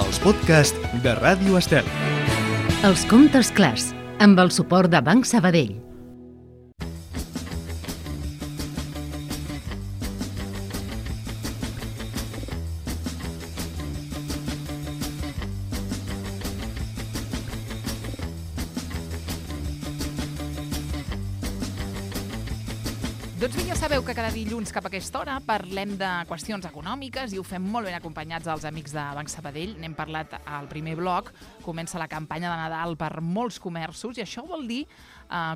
els podcasts de Ràdio Estel. Els comptes clars, amb el suport de Banc Sabadell. Doncs bé, ja sabeu que cada dilluns cap a aquesta hora parlem de qüestions econòmiques i ho fem molt ben acompanyats dels amics de Banc Sabadell. N'hem parlat al primer bloc. Comença la campanya de Nadal per molts comerços i això vol dir,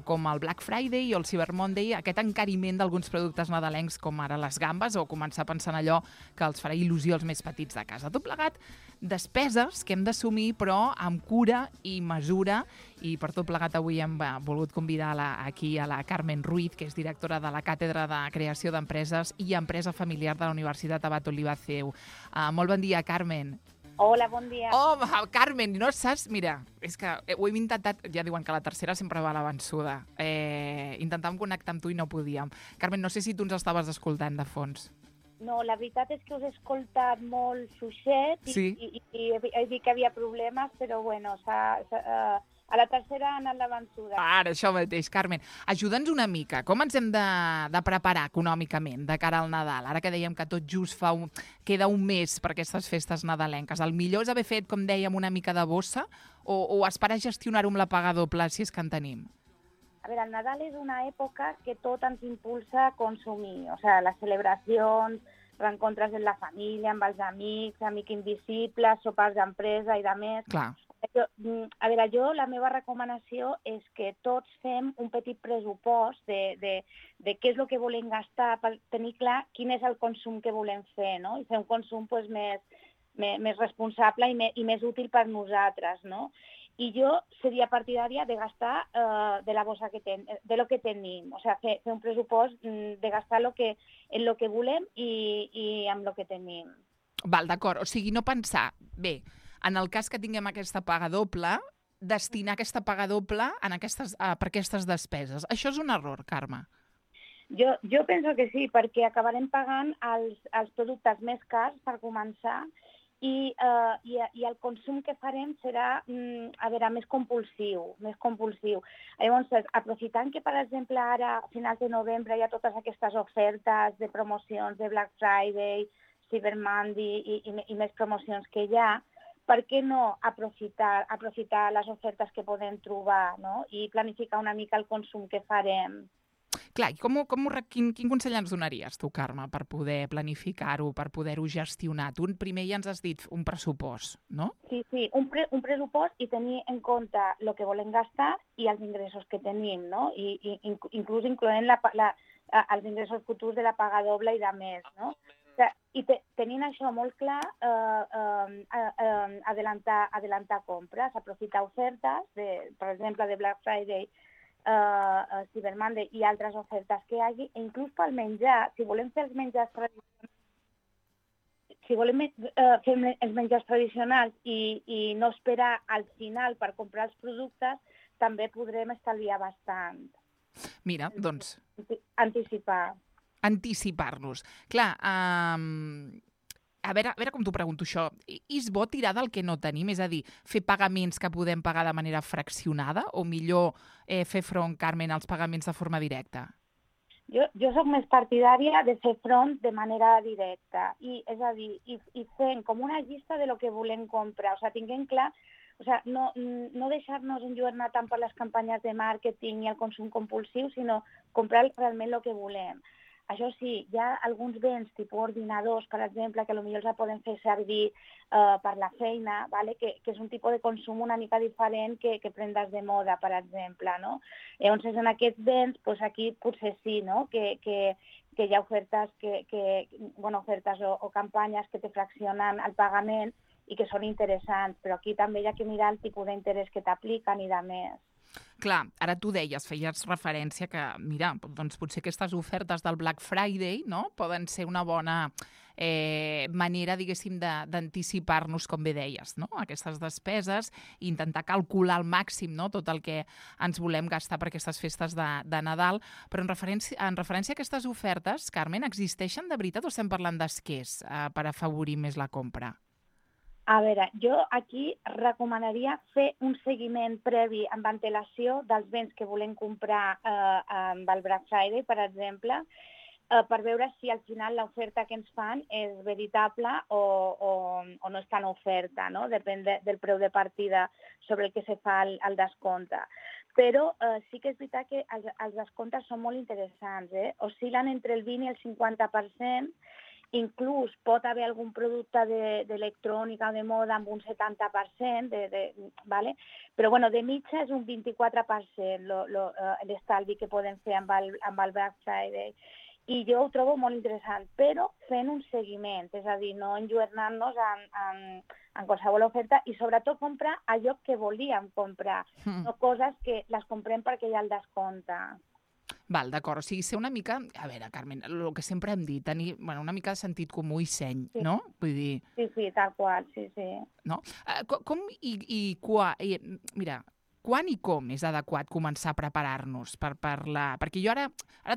com el Black Friday o el Cyber Monday, aquest encariment d'alguns productes nadalencs com ara les gambes o començar a pensar en allò que els farà il·lusió als més petits de casa. Tot plegat, despeses que hem d'assumir però amb cura i mesura, i per tot plegat avui hem volgut convidar aquí a la Carmen Ruiz, que és directora de la Càtedra de Creació d'Empreses i Empresa Familiar de la Universitat Abat Oliba CEU. Molt bon dia, Carmen. Hola, bon dia. Oh, Carmen, no saps? Mira, és que ho hem intentat, ja diuen que la tercera sempre va a la vençuda. Intentàvem connectar amb tu i no podíem. Carmen, no sé si tu ens estaves escoltant de fons. No, la veritat és que us he escoltat molt fluixet i he dit que havia problemes, però bueno, a la tercera ha anat la vençuda. Ara, això mateix, Carmen. Ajuda'ns una mica. Com ens hem de preparar econòmicament de cara al Nadal? Ara que dèiem que tot just queda un mes per aquestes festes nadalenques. El millor és haver fet, com dèiem, una mica de bossa o esperar gestionar-ho amb la paga doble, si és que en tenim? A veure, el Nadal és una època que tot ens impulsa a consumir. O sigui, les celebracions, reencontres amb la família, amb els amics, amic invisible, sopars d'empresa i de més. Clar. La meva recomanació és que tots fem un petit pressupost de què és el que volem gastar per tenir clar quin és el consum que volem fer, no? I fer un consum més responsable i més útil per nosaltres, no? I jo seria partidària de gastar de la bossa de lo que tenim, o sigui, fer un pressupost de gastar en lo que volem i amb lo que tenim. Val, d'acord, o sigui, no pensar, bé, en el cas que tinguem aquesta paga doble, destinar aquesta paga doble per aquestes despeses. Això és un error, Carme. Jo penso que sí, perquè acabarem pagant els productes més cars per començar i el consum que farem serà més compulsiu. Llavors, aprofitant que, per exemple, ara, a finals de novembre, hi ha totes aquestes ofertes de promocions de Black Friday, Cyber Monday i més promocions que hi ha, per què no aprofitar les ofertes que podem trobar, no? I planificar una mica el consum que farem? Clar, i quin consell ens donaries tu, Carme, per poder planificar-ho, per poder-ho gestionar? Tu primer ja ens has dit un pressupost, no? Sí, un pressupost i tenir en compte el que volem gastar i els ingressos que tenim, no? I inclús incloent els ingressos futurs de la paga doble i de més, no? I tenint això molt clar, adelantar compres, aprofitar ofertes, per exemple, de Black Friday, Cyber Monday i altres ofertes que hi hagi, i inclús pel menjar, si volem fer els menjars tradicionals, i no esperar al final per comprar els productes, també podrem estalviar bastant. Mira, doncs... Anticipar-nos. Clar, a veure com t'ho pregunto això. És bo tirar del que no tenim? És a dir, fer pagaments que podem pagar de manera fraccionada o millor fer front, Carmen, als pagaments de forma directa? Jo soc més partidària de fer front de manera directa. És a dir, i fent com una llista de lo que volem comprar. O sigui, tinguem clar, no deixar-nos enlluernar tant per les campanyes de màrqueting i el consum compulsiu, sinó comprar realment el que volem. Això sí, hi ha alguns béns, tipus ordinadors, per exemple, que potser els podem fer servir per la feina, que és un tipus de consum una mica diferent que prendes de moda, per exemple, no? Llavors, en aquests béns, aquí potser sí, no? Que hi ha ofertes ofertes o campanyes que te fraccionen el pagament i que són interessants, però aquí també hi ha que mirar el tipus d'interès que t'apliquen i de més. Clar, ara tu feies referència que, mira, doncs potser aquestes ofertes del Black Friday, no?, poden ser una bona manera, diguéssim, d'anticipar-nos, com bé deies, no?, aquestes despeses i intentar calcular al màxim, no?, tot el que ens volem gastar per aquestes festes de Nadal. Però en referència a aquestes ofertes, Carmen, existeixen de veritat o estem parlant d'esquers per afavorir més la compra? A veure, jo aquí recomanaria fer un seguiment previ amb antelació dels béns que volem comprar amb el Black Friday, per exemple, per veure si al final l'oferta que ens fan és veritable o no està en oferta, no? Depèn del preu de partida sobre el que se fa el descompte. Però sí que és veritat que els descomptes són molt interessants, oscil·len entre el 20 i el 50%, inclús pot haver algun producte d'electrònica o de moda amb un 70%, ¿vale? Però bueno, de mitja és un 24% l'estalvi que podem fer amb el Black Friday. I jo ho trobo molt interessant, però fent un seguiment, és a dir, no enlluernant-nos en qualsevol oferta i sobretot comprar allò que volíem comprar, no coses que les comprem perquè hi ha el descompte. Val, d'acord. O sigui, ser una mica... A veure, Carmen, el que sempre hem dit, tenir una mica de sentit comú i seny, sí. No? Vull dir... Sí, tal qual, sí. No? Com i quan... Mira, quan i com és adequat començar a preparar-nos per la... Perquè jo ara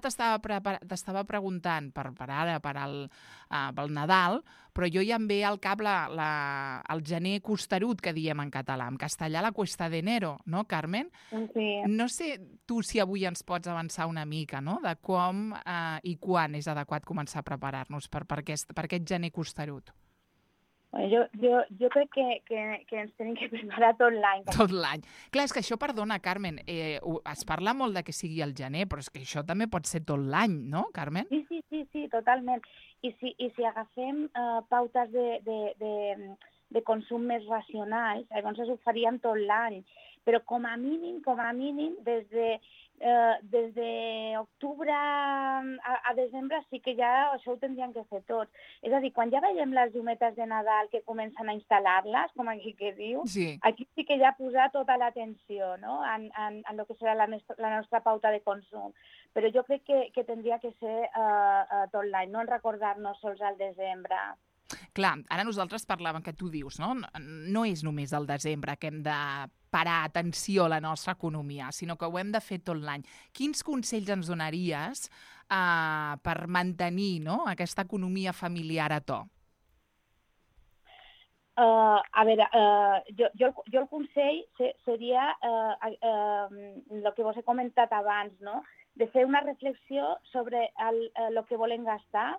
t'estava preguntant per el Nadal, però jo ja em ve al cap el gener costerut, que diem en català. En castellà, la cuesta de enero, no, Carmen? Sí. No sé tu si avui ens pots avançar una mica, no?, de com i quan és adequat començar a preparar-nos per aquest gener costerut. Jo crec que ens tenim que preparar tot l'any. Tot l'any. Clar, és que això, perdona, Carmen, es parla molt de que sigui el gener, però és que això també pot ser tot l'any, no, Carmen? Sí, totalment. I si agafem pautes de consum més racionals, llavors ho faríem tot l'any. Però com a mínim, des d'octubre a desembre sí que ja això ho tindrien que fer tots. És a dir, quan ja veiem les llumetes de Nadal que comencen a instal·lar-les, com aquí que diu, sí. Aquí sí que ja posar tota l'atenció, no?, en el que serà la nostra pauta de consum. Però jo crec que tindria que ser tot l'any, no en recordar-nos sols al desembre. Clar, ara nosaltres parlàvem, que tu dius, no? No és només al desembre que hem de parar atenció a la nostra economia, sinó que ho hem de fer tot l'any. Quins consells ens donaries per mantenir, no?, aquesta economia familiar a to? A veure, jo el consell seria el que vos he comentat abans, no?, de fer una reflexió sobre el que volem gastar.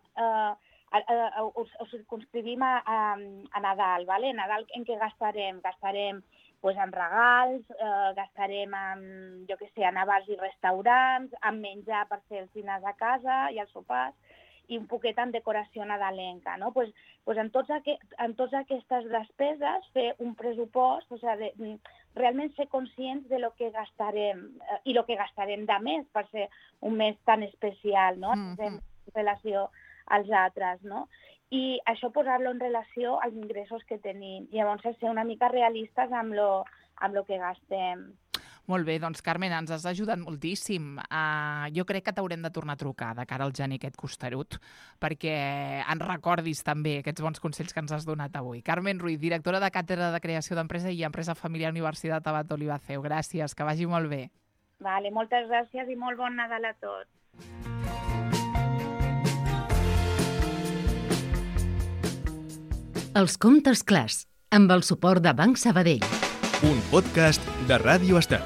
Ho circumscrivim a Nadal, ¿vale? Nadal en què gastarem? Gastarem pues, en regals, gastarem en, jo què sé, en bars i restaurants, en menjar per fer els dinars a casa i els sopars, i un poquet en decoració nadalenca, no? Pues en totes aquestes despeses fer un pressupost, o sigui, realment ser conscients de lo que gastarem i lo que gastarem de més per ser un mes tan especial, no? En relació als altres, no? I això posar-lo en relació als ingressos que tenim. I llavors ser una mica realistes amb lo que gastem. Molt bé, doncs Carmen, ens has ajudat moltíssim. Jo crec que t'haurem de tornar a trucar de cara al gener aquest costerut, perquè ens recordis també aquests bons consells que ens has donat avui. Carmen Ruiz, directora de Càtedra de Creació d'Empresa i Empresa Familiar Universitat Abat Olivaceu. Gràcies, que vagi molt bé. Vale, moltes gràcies i molt bon Nadal a tots. Els comptes clars, amb el suport de Banc Sabadell. Un podcast de Ràdio Estel.